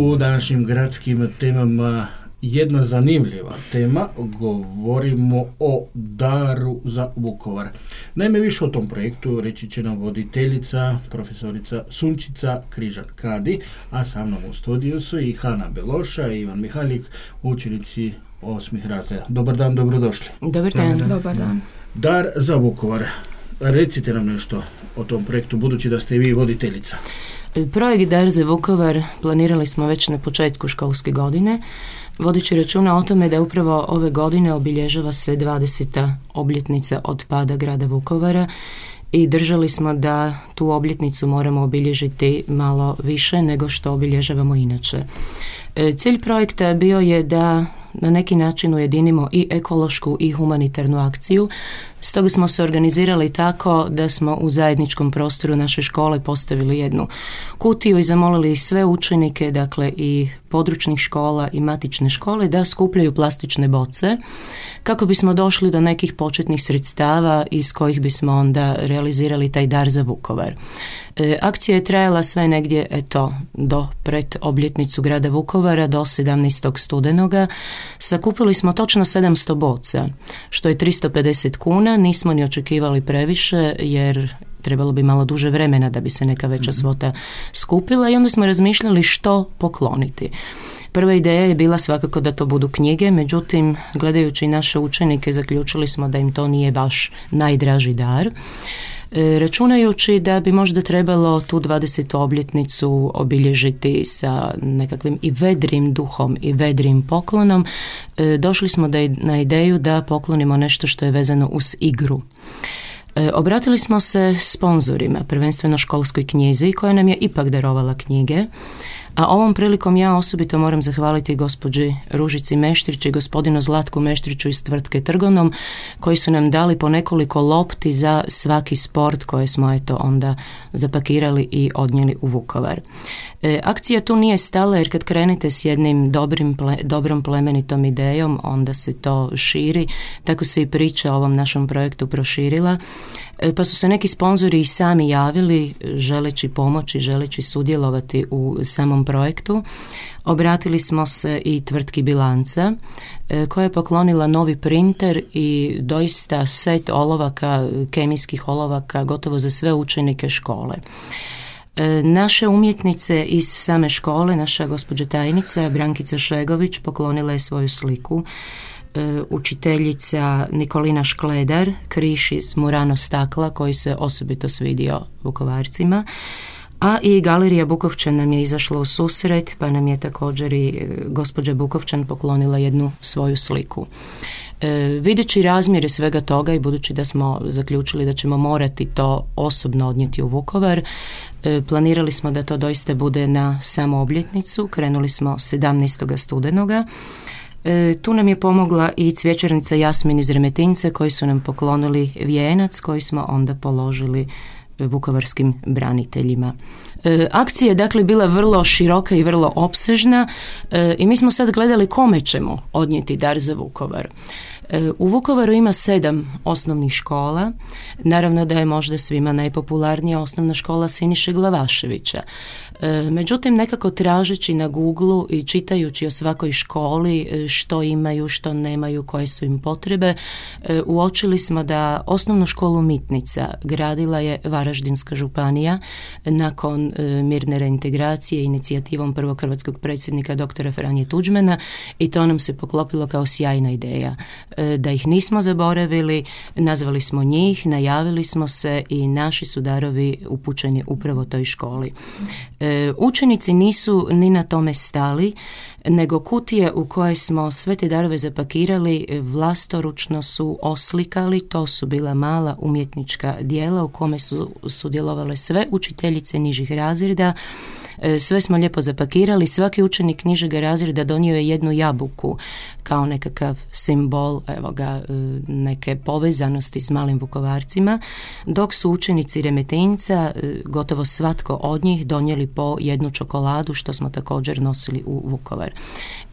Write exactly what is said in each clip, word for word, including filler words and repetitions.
U današnjim gradskim temama jedna zanimljiva tema, govorimo o daru za Vukovar. Naime, više o tom projektu reći će nam voditeljica, profesorica Sunčica Križan-Kadi, a sa mnom u studiju su i Hana Beloša i Ivan Mihaljik, učenici osmih razreda. Dobar dan, dobrodošli. Dobar dan. Dobar dan. Dobar dan. Dar za Vukovar. Recite nam nešto o tom projektu, budući da ste vi voditeljica. Projekt Dar za Vukovar planirali smo već na početku školske godine, vodeći računa o tome da upravo ove godine obilježava se dvadeseta obljetnica od pada grada Vukovara i držali smo da tu obljetnicu moramo obilježiti malo više nego što obilježavamo inače. Cilj projekta bio je da na neki način ujedinimo i ekološku i humanitarnu akciju. Stoga smo se organizirali tako da smo u zajedničkom prostoru naše škole postavili jednu kutiju i zamolili sve učenike, dakle i područnih škola i matične škole, da skupljaju plastične boce kako bismo došli do nekih početnih sredstava iz kojih bismo onda realizirali taj dar za Vukovar. E, akcija je trajala sve negdje, eto, do pred obljetnicu grada Vukovara, do sedamnaestog studenoga. Sakupili smo točno sedamsto boca, što je tristo pedeset kuna. Nismo ni očekivali previše, jer trebalo bi malo duže vremena da bi se neka veća svota skupila i onda smo razmišljali što pokloniti. Prva ideja je bila svakako da to budu knjige, međutim, gledajući naše učenike, zaključili smo da im to nije baš najdraži dar. E, računajući da bi možda trebalo tu dvadesetu obljetnicu obilježiti sa nekakvim i vedrim duhom i vedrim poklonom, e, došli smo da, na ideju da poklonimo nešto što je vezano uz igru. E, obratili smo se sponzorima, prvenstveno školskoj knjizi koja nam je ipak darovala knjige, a ovom prilikom ja osobito moram zahvaliti gospođi Ružici Meštrić i gospodinu Zlatku Meštriću iz tvrtke Trgonom, koji su nam dali po nekoliko lopti za svaki sport koje smo eto onda zapakirali i odnijeli u Vukovar. E, akcija tu nije stala, jer kad krenete s jednim dobrim, ple, dobrom plemenitom idejom, onda se to širi, tako se i priča o ovom našem projektu proširila. E, pa su se neki sponzori i sami javili, želeći pomoći, želeći sudjelovati u samom projektu. Obratili smo se i tvrtki Bilanca, e, koja je poklonila novi printer i doista set olovaka, kemijskih olovaka, gotovo za sve učenike škole. E, naše umjetnice iz same škole, naša gospođa tajnica Brankica Šegović poklonila je svoju sliku. E, učiteljica Nikolina Škledar, križ iz Murano stakla koji se osobito svidio Vukovarcima, a i Galerija Bukovčan nam je izašla u susret, pa nam je također i gospođa Bukovčan poklonila jednu svoju sliku. E, videći razmjere svega toga i budući da smo zaključili da ćemo morati to osobno odnijeti u Vukovar, e, planirali smo da to doista bude na samu obljetnicu. Krenuli smo sedamnaestog studenoga. E, tu nam je pomogla i cvjećarnica Jasmin iz Remetinca, koji su nam poklonili vijenac koji smo onda položili vukovarskim braniteljima. E, akcija je dakle bila vrlo široka i vrlo opsežna e, i mi smo sad gledali kome ćemo odnijeti dar za Vukovar. E, u Vukovaru ima sedam osnovnih škola. Naravno da je možda svima najpopularnija osnovna škola Siniše Glavaševića. E, međutim, nekako tražeći na Googlu i čitajući o svakoj školi što imaju, što nemaju, koje su im potrebe, e, uočili smo da osnovnu školu Mitnica gradila je Varaždinska županija nakon e, mirne reintegracije inicijativom prvog hrvatskog predsjednika doktora Franje Tuđmana, i to nam se poklopilo kao sjajna ideja. E, da ih nismo zaboravili, nazvali smo njih, najavili smo se i naši su darovi upućeni upravo toj školi. E, Učenici nisu ni na tome stali, nego kutije u koje smo sve te darove zapakirali vlastoručno su oslikali. To su bila mala umjetnička djela u kome su sudjelovale sve učiteljice nižih razreda. Sve smo lijepo zapakirali. Svaki učenik nižeg razreda donio je jednu jabuku kao nekakav simbol, evo ga, neke povezanosti s malim Vukovarcima, dok su učenici Remetinca, gotovo svatko od njih, donijeli po jednu čokoladu, što smo također nosili u Vukovar.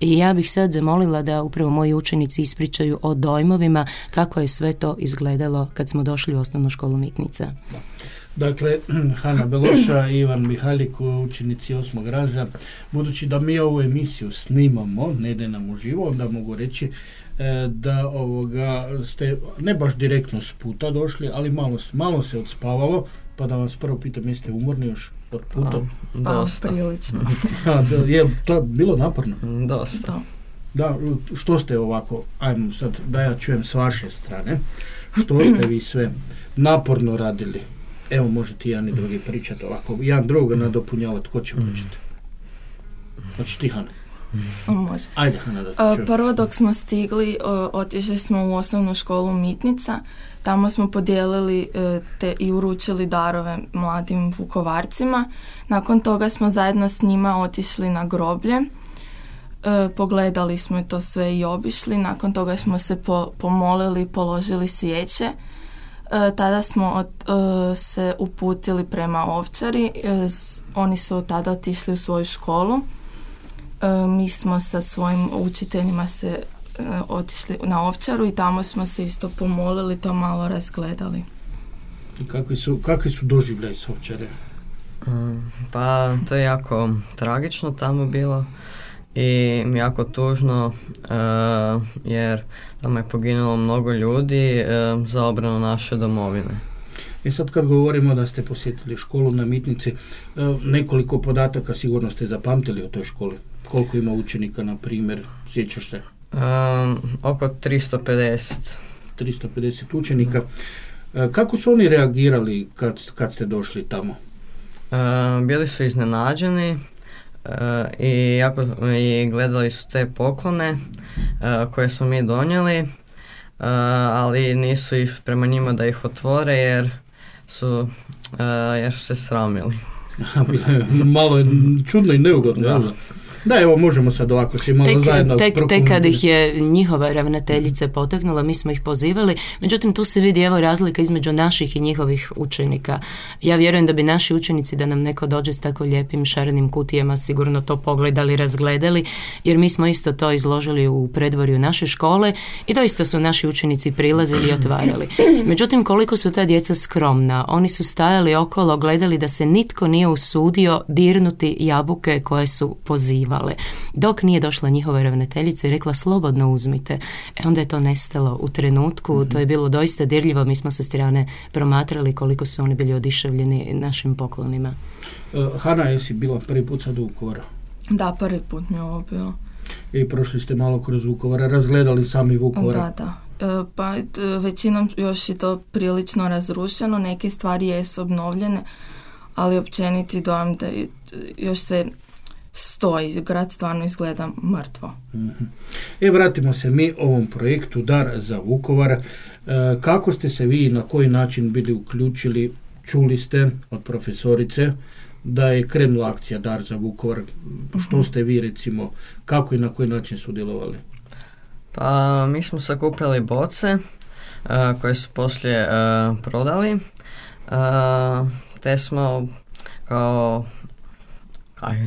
I ja bih sad zamolila da upravo moji učenici ispričaju o dojmovima kako je sve to izgledalo kad smo došli u osnovnu školu Mitnica. Dakle, Hana Beloša i Ivan Mihalik, učenici osmog razreda. Budući da mi ovu emisiju snimamo, ne ide nam uživo, onda mogu reći e, da ovoga ste ne baš direktno s puta došli, ali malo, malo se odspavalo, pa da vas prvo pitam, jeste umorni još od puta? Pa, dosta. Prilično. A, da, je to bilo naporno? Dosta. Da, što ste ovako, ajmo sad da ja čujem s vaše strane, što ste vi sve naporno radili? Evo, možete jedan i drugi pričati ovako, jedan druga nadopunjavati, ko će početi? Znači ti, Hana. Može. Ajde, Hana, da te čujem. Prvo dok smo stigli, otišli smo u osnovnu školu Mitnica, tamo smo podijelili te i uručili darove mladim Vukovarcima. Nakon toga smo zajedno s njima otišli na groblje, pogledali smo to sve i obišli, nakon toga smo se po, pomolili, položili svijeće. E, tada smo od, e, se uputili prema Ovčari, e, oni su tada otišli u svoju školu, e, mi smo sa svojim učiteljima se e, otišli na Ovčaru i tamo smo se isto pomolili, to malo razgledali. I kakvi su, kakvi su doživljaj s Ovčare? Mm, pa to je jako tragično tamo bilo i jako tužno uh, jer tamo je poginulo mnogo ljudi uh, za obranu naše domovine. I sad kad govorimo da ste posjetili školu na Mitnici, uh, nekoliko podataka sigurno ste zapamtili o toj školi. Koliko ima učenika, na primjer, sjećaš se? Um, oko tristo pedeset. tristo pedeset učenika. Uh, kako su oni reagirali kad, kad ste došli tamo? Uh, bili su iznenađeni. Uh, i, jako, i gledali su te poklone uh, koje smo mi donijeli, uh, ali nisu ih prema njima da ih otvore jer su, uh, jer su se sramili. Malo je čudno i neugodno. Da. Da, evo, možemo sad ovako svi malo tek, zajedno tek, tek kad ih je njihova ravnateljica potaknula, mi smo ih pozivali. Međutim, tu se vidi evo razlika između naših i njihovih učenika. Ja vjerujem da bi naši učenici, da nam neko dođe s tako lijepim šarenim kutijama, sigurno to pogledali, razgledali, jer mi smo isto to izložili u predvorju naše škole i doista su naši učenici prilazili i otvarali. Međutim, koliko su ta djeca skromna, oni su stajali okolo, gledali da se nitko nije usudio dirnuti jabuke koje su pozivali. Dok nije došla njihova ravnateljica i rekla slobodno uzmite. E onda je to nestalo u trenutku, mm-hmm. To je bilo doista dirljivo, mi smo sa strane promatrali koliko su oni bili odišavljeni našim poklonima. Uh, Hana, jesi bila prvi put sad u Vukovaru? Da, prvi put mi je ovo bilo. I prošli ste malo kroz Vukovara, razgledali sami Vukovar? Da, da. E, pa većinom još je to prilično razrušeno, neke stvari jesu obnovljene, ali općeniti dojam da još sve stoji, grad stvarno izgleda mrtvo. Mm-hmm. E, vratimo se mi ovom projektu Dar za Vukovar. E, kako ste se vi na koji način bili uključili? Čuli ste od profesorice da je krenula akcija Dar za Vukovar. Mm-hmm. Što ste vi, recimo, kako i na koji način sudjelovali? Pa mi smo sakupljali boce uh, koje su poslije uh, prodali, uh, te smo kao aj,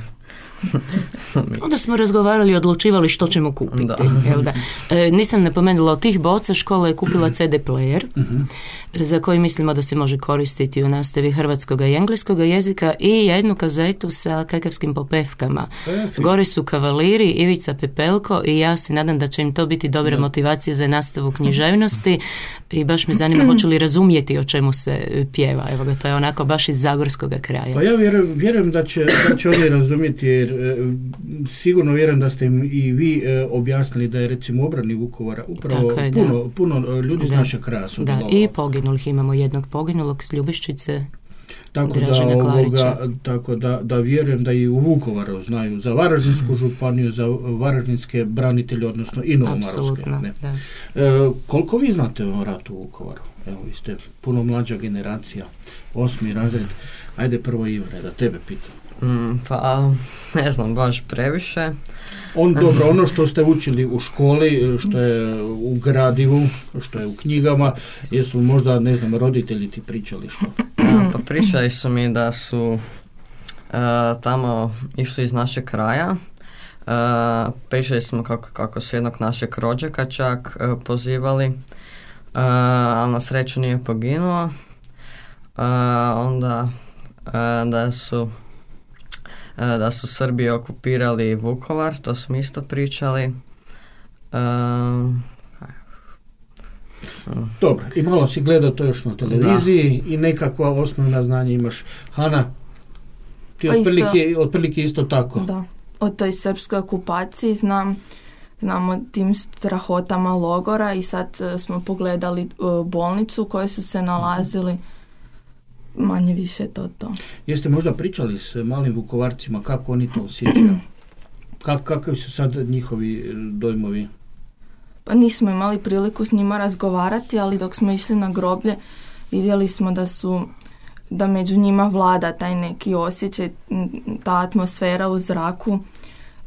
onda smo razgovarali i odlučivali što ćemo kupiti. Da. Evo da. E, nisam napomenula, od tih boca škola je kupila ce de player, uh-huh. za koji mislimo da se može koristiti u nastavi hrvatskog i engleskog jezika, i jednu kazetu sa kakavskim popevkama. E, Gore su kavaliri, Ivica Pepelko i ja se nadam da će im to biti dobra da. motivacija za nastavu književnosti i baš me zanima hoće li razumjeti o čemu se pjeva. Evo ga, to je onako baš iz zagorskog kraja. Pa ja vjerujem, vjerujem da, će, da će oni razumjeti, jer e, sigurno vjerujem da ste im i vi e, objasnili da je recimo obrani Vukovara upravo je, puno, da. puno ljudi iz našeg kraja su da, i poginulih, imamo jednog poginulog s Ljubiščice, tako da, ovoga, tako da, da vjerujem da i u Vukovaru znaju za Varaždinsku županiju, za varaždinske branitelje, odnosno i novomarovske. E, koliko vi znate o ratu u Vukovaru? Evo, vi ste puno mlađa generacija, osmi razred. Ajde prvo, Ivane, da tebe pitam. Mm, pa ne znam baš previše. On, dobro, ono što ste učili u školi, što je u gradivu, što je u knjigama, jesu možda, ne znam, roditelji ti pričali što? Ja, pa pričali su mi da su uh, tamo išli iz našeg kraja. Uh, pričali smo kako, kako su jednog našeg rođaka čak uh, pozivali, uh, ali na sreću nije poginuo. onda da su da su Srbi okupirali Vukovar, to smo isto pričali. Dobro, i malo si gledao to još na televiziji da. I nekakva osnovna znanja imaš. Hana, ti pa otprilike, isto, otprilike isto tako. Da, o toj srpskoj okupaciji znam, znam o tim strahotama logora i sad uh, smo pogledali uh, bolnicu u kojoj su se nalazili, manje više to to. Jeste možda pričali s malim Vukovarcima kako oni to osjećaju? Kak, kakvi su sad njihovi dojmovi? Pa nismo imali priliku s njima razgovarati, ali dok smo išli na groblje vidjeli smo da su da među njima vlada taj neki osjećaj, ta atmosfera u zraku.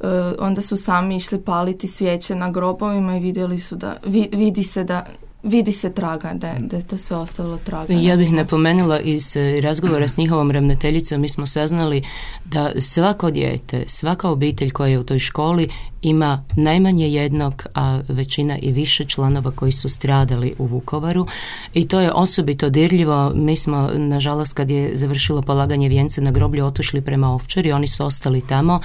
E, onda su sami išli paliti svijeće na grobovima i vidjeli su da vi, vidi se da vidi se traga, da je, da je to sve ostavilo traga. Ja bih napomenula iz razgovora s njihovom ravnateljicom, mi smo saznali da svako dijete, svaka obitelj koja je u toj školi ima najmanje jednog, a većina i više članova koji su stradali u Vukovaru i to je osobito dirljivo. Mi smo, nažalost, kad je završilo polaganje vijence na groblju, otišli prema Ovčari, oni su ostali tamo,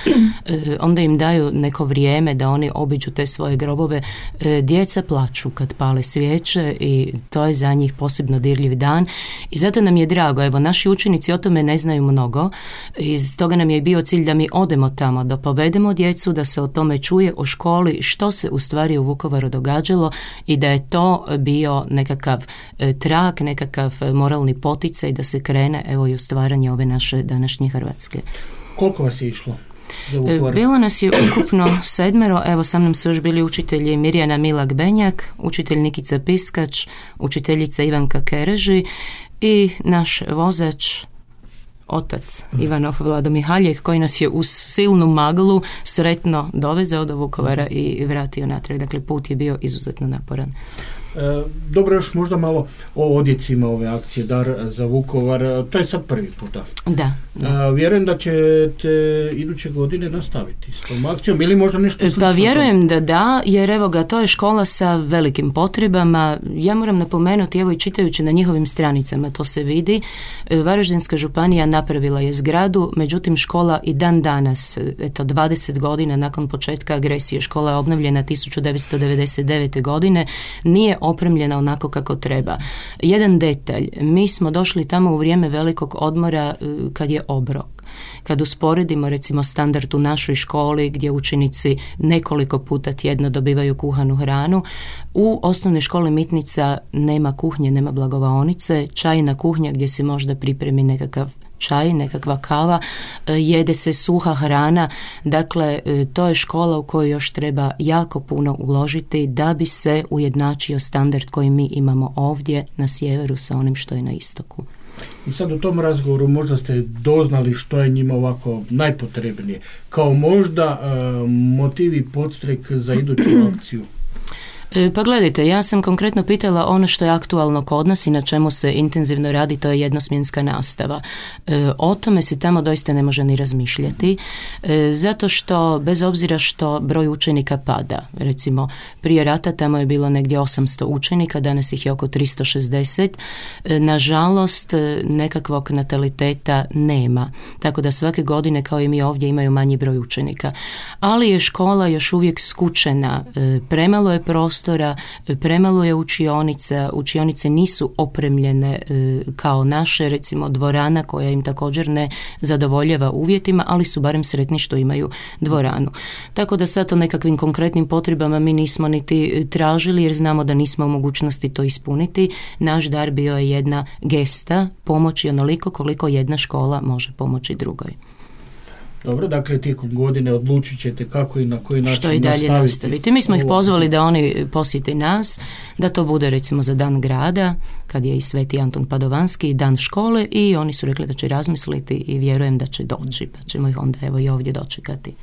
e, onda im daju neko vrijeme da oni obiđu te svoje grobove. E, djeca plaču kad pale svijeće i to je za njih posebno dirljiv dan i zato nam je drago. Evo, naši učenici o tome ne znaju mnogo i stoga nam je bio cilj da mi odemo tamo, da povedemo djecu, da se o tome čuje o školi što se u stvari u Vukovaru događalo i da je to bio nekakav e, trak, nekakav moralni poticaj da se krene evo i u stvaranje ove naše današnje Hrvatske. Koliko vas je išlo? Bilo nas je ukupno sedmero, evo sa mnom su još bili učitelji Mirjana Milak-Benjak, učitelj Nikica Piskač, učiteljica Ivanka Kereži i naš vozač otac Ivanov Vlado Mihaljek koji nas je uz silnu maglu sretno dovezao do Vukovara i vratio natrag. Dakle, put je bio izuzetno naporan. E, dobro, još možda malo o odjecima ove akcije Dar za Vukovar. To je sad prvi puta. Da. da. A, vjerujem da ćete iduće godine nastaviti s tom akcijom ili možda nešto slično. Pa vjerujem da da, jer evo ga, to je škola sa velikim potrebama. Ja moram napomenuti, evo i čitajući na njihovim stranicama, to se vidi. Varaždinska županija napravila je zgradu, međutim škola i dan danas, eto dvadeset godina nakon početka agresije, škola je obnovljena tisuću devetsto devedeset devete. godine, nije opremljena onako kako treba. Jedan detalj, mi smo došli tamo u vrijeme velikog odmora kad je obrok. Kad usporedimo recimo standard u našoj školi gdje učenici nekoliko puta tjedno dobivaju kuhanu hranu, u osnovnoj školi Mitnica nema kuhnje, nema blagovaonice, čajna kuhnja gdje se možda pripremi nekakav čaj, nekakva kava, jede se suha hrana, dakle to je škola u kojoj još treba jako puno uložiti da bi se ujednačio standard koji mi imamo ovdje na sjeveru sa onim što je na istoku. I sad u tom razgovoru možda ste doznali što je njima ovako najpotrebnije, kao možda uh, motiv i podstrek za iduću akciju. Pa gledajte, ja sam konkretno pitala ono što je aktualno kod nas i na čemu se intenzivno radi, to je jednosmjenska nastava. E, o tome se tamo doista ne može ni razmišljati, e, zato što bez obzira što broj učenika pada, recimo prije rata tamo je bilo negdje osamsto učenika, danas ih je oko tristo šezdeset, e, nažalost nekakvog nataliteta nema, tako da svake godine kao i mi ovdje imaju manji broj učenika, ali je škola još uvijek skučena, e, premalo je prostora, premalo je učionica, učionice nisu opremljene e, kao naše, recimo dvorana koja im također ne zadovoljava uvjetima, ali su barem sretni što imaju dvoranu. Tako da sad o nekakvim konkretnim potrebama mi nismo niti tražili jer znamo da nismo u mogućnosti to ispuniti. Naš dar bio je jedna gesta, pomoći onoliko koliko jedna škola može pomoći drugoj. Dobro, dakle tijekom godine odlučit ćete kako i na koji način što i dalje nastaviti. nastaviti. Mi smo ih pozvali da oni posjete nas, da to bude recimo za dan grada, kad je i Sveti Anton Padovanski, dan škole i oni su rekli da će razmisliti i vjerujem da će doći, pa ćemo ih onda evo i ovdje dočekati.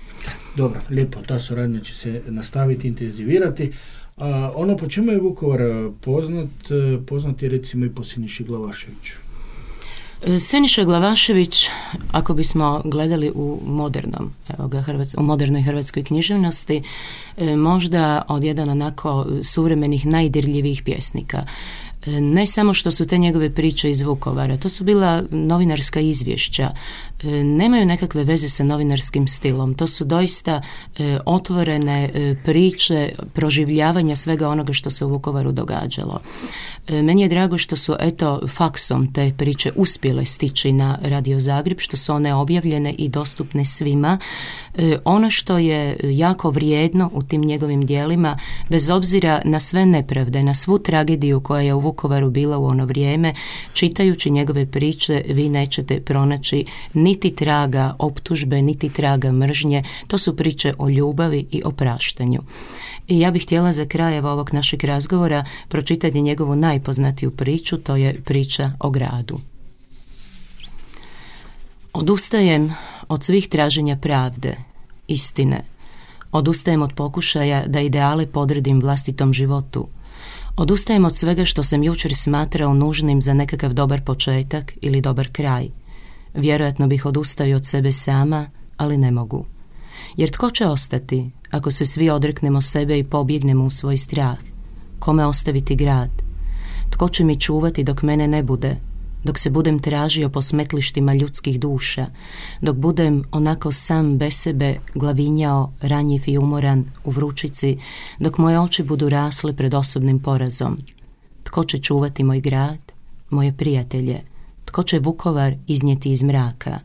Dobro, lijepo, ta suradnja će se nastaviti, intenzivirati. A ono po čemu je Vukovar poznat, poznat je recimo i po Siniši Glavaševiću. Siniša Glavašević, ako bismo gledali u modernom, evo ga, Hrvats, u modernoj hrvatskoj književnosti, možda od jedan onako suvremenih najdirljivijih pjesnika. Ne samo što su te njegove priče iz Vukovara, to su bila novinarska izvješća, nemaju nekakve veze sa novinarskim stilom, to su doista otvorene priče proživljavanja svega onoga što se u Vukovaru događalo. Meni je drago što su eto faksom te priče uspjele stići na Radio Zagreb, što su one objavljene i dostupne svima. Ono što je jako vrijedno u tim njegovim dijelima, bez obzira na sve nepravde, na svu tragediju koja je u Vukovaru bila u ono vrijeme, čitajući njegove priče vi nećete pronaći niti traga optužbe, niti traga mržnje. To su priče o ljubavi i opraštanju. I ja bih htjela za kraj ovog našeg razgovora pročitati njegovu najpoznatiju priču, to je priča o gradu. Odustajem od svih traženja pravde, istine. Odustajem od pokušaja da ideale podredim vlastitom životu. Odustajem od svega što sam jučer smatrao nužnim za nekakav dobar početak ili dobar kraj. Vjerojatno bih odustao i od sebe sama, ali ne mogu. Jer tko će ostati ako se svi odreknemo sebe i pobjegnemo u svoj strah? Kome ostaviti grad? Tko će mi čuvati dok mene ne bude? Dok se budem tražio po smetlištima ljudskih duša, dok budem onako sam bez sebe glavinjao, ranjiv i umoran u vrućici, dok moje oči budu rasle pred osobnim porazom. Tko će čuvati moj grad, moje prijatelje? Tko će Vukovar iznijeti iz mraka?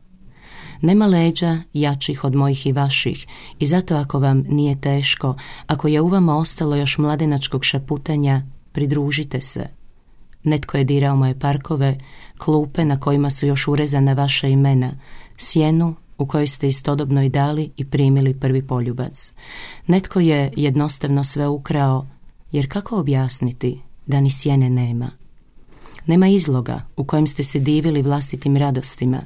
Nema leđa jačih od mojih i vaših i zato ako vam nije teško, ako je u vama ostalo još mladenačkog šaputanja, pridružite se. Netko je dirao moje parkove, klupe na kojima su još urezana vaša imena, sjenu u kojoj ste istodobno i dali i primili prvi poljubac. Netko je jednostavno sve ukrao, jer kako objasniti da ni sjene nema? Nema izloga u kojem ste se divili vlastitim radostima,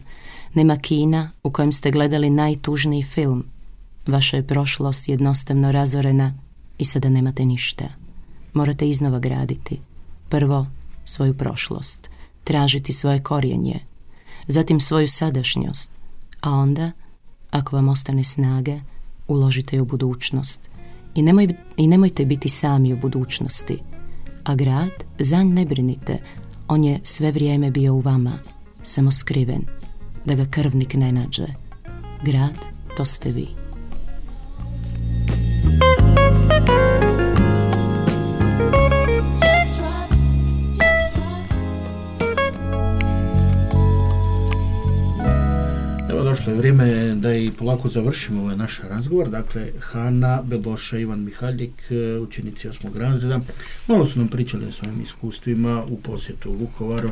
nema kina u kojem ste gledali najtužniji film. Vaša je prošlost jednostavno razorena i sada nemate ništa. Morate iznova graditi. Prvo svoju prošlost, tražiti svoje korijenje, zatim svoju sadašnjost, a onda, ako vam ostane snage, uložite u budućnost. I, nemoj, i nemojte biti sami u budućnosti. A grad, za nj ne brinite, on je sve vrijeme bio u vama, samo skriven, da ga krvnik ne nađe. Grad, to ste vi. Došlo je vrijeme da i polako završimo ovaj naš razgovor. Dakle, Hana Beloša, Ivan Mihaljik, učenici osmog razreda, malo su nam pričali o svojim iskustvima u posjetu u Vukovaru.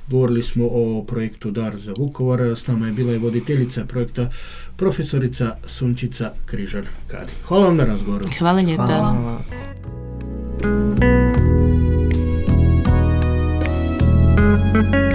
Govorili smo o projektu Dar za Vukovar. S nama je bila i voditeljica projekta, profesorica Sunčica Križar-Kadi. Hvala vam na razgovoru. Hvala lijepa. Hvala. Thank you.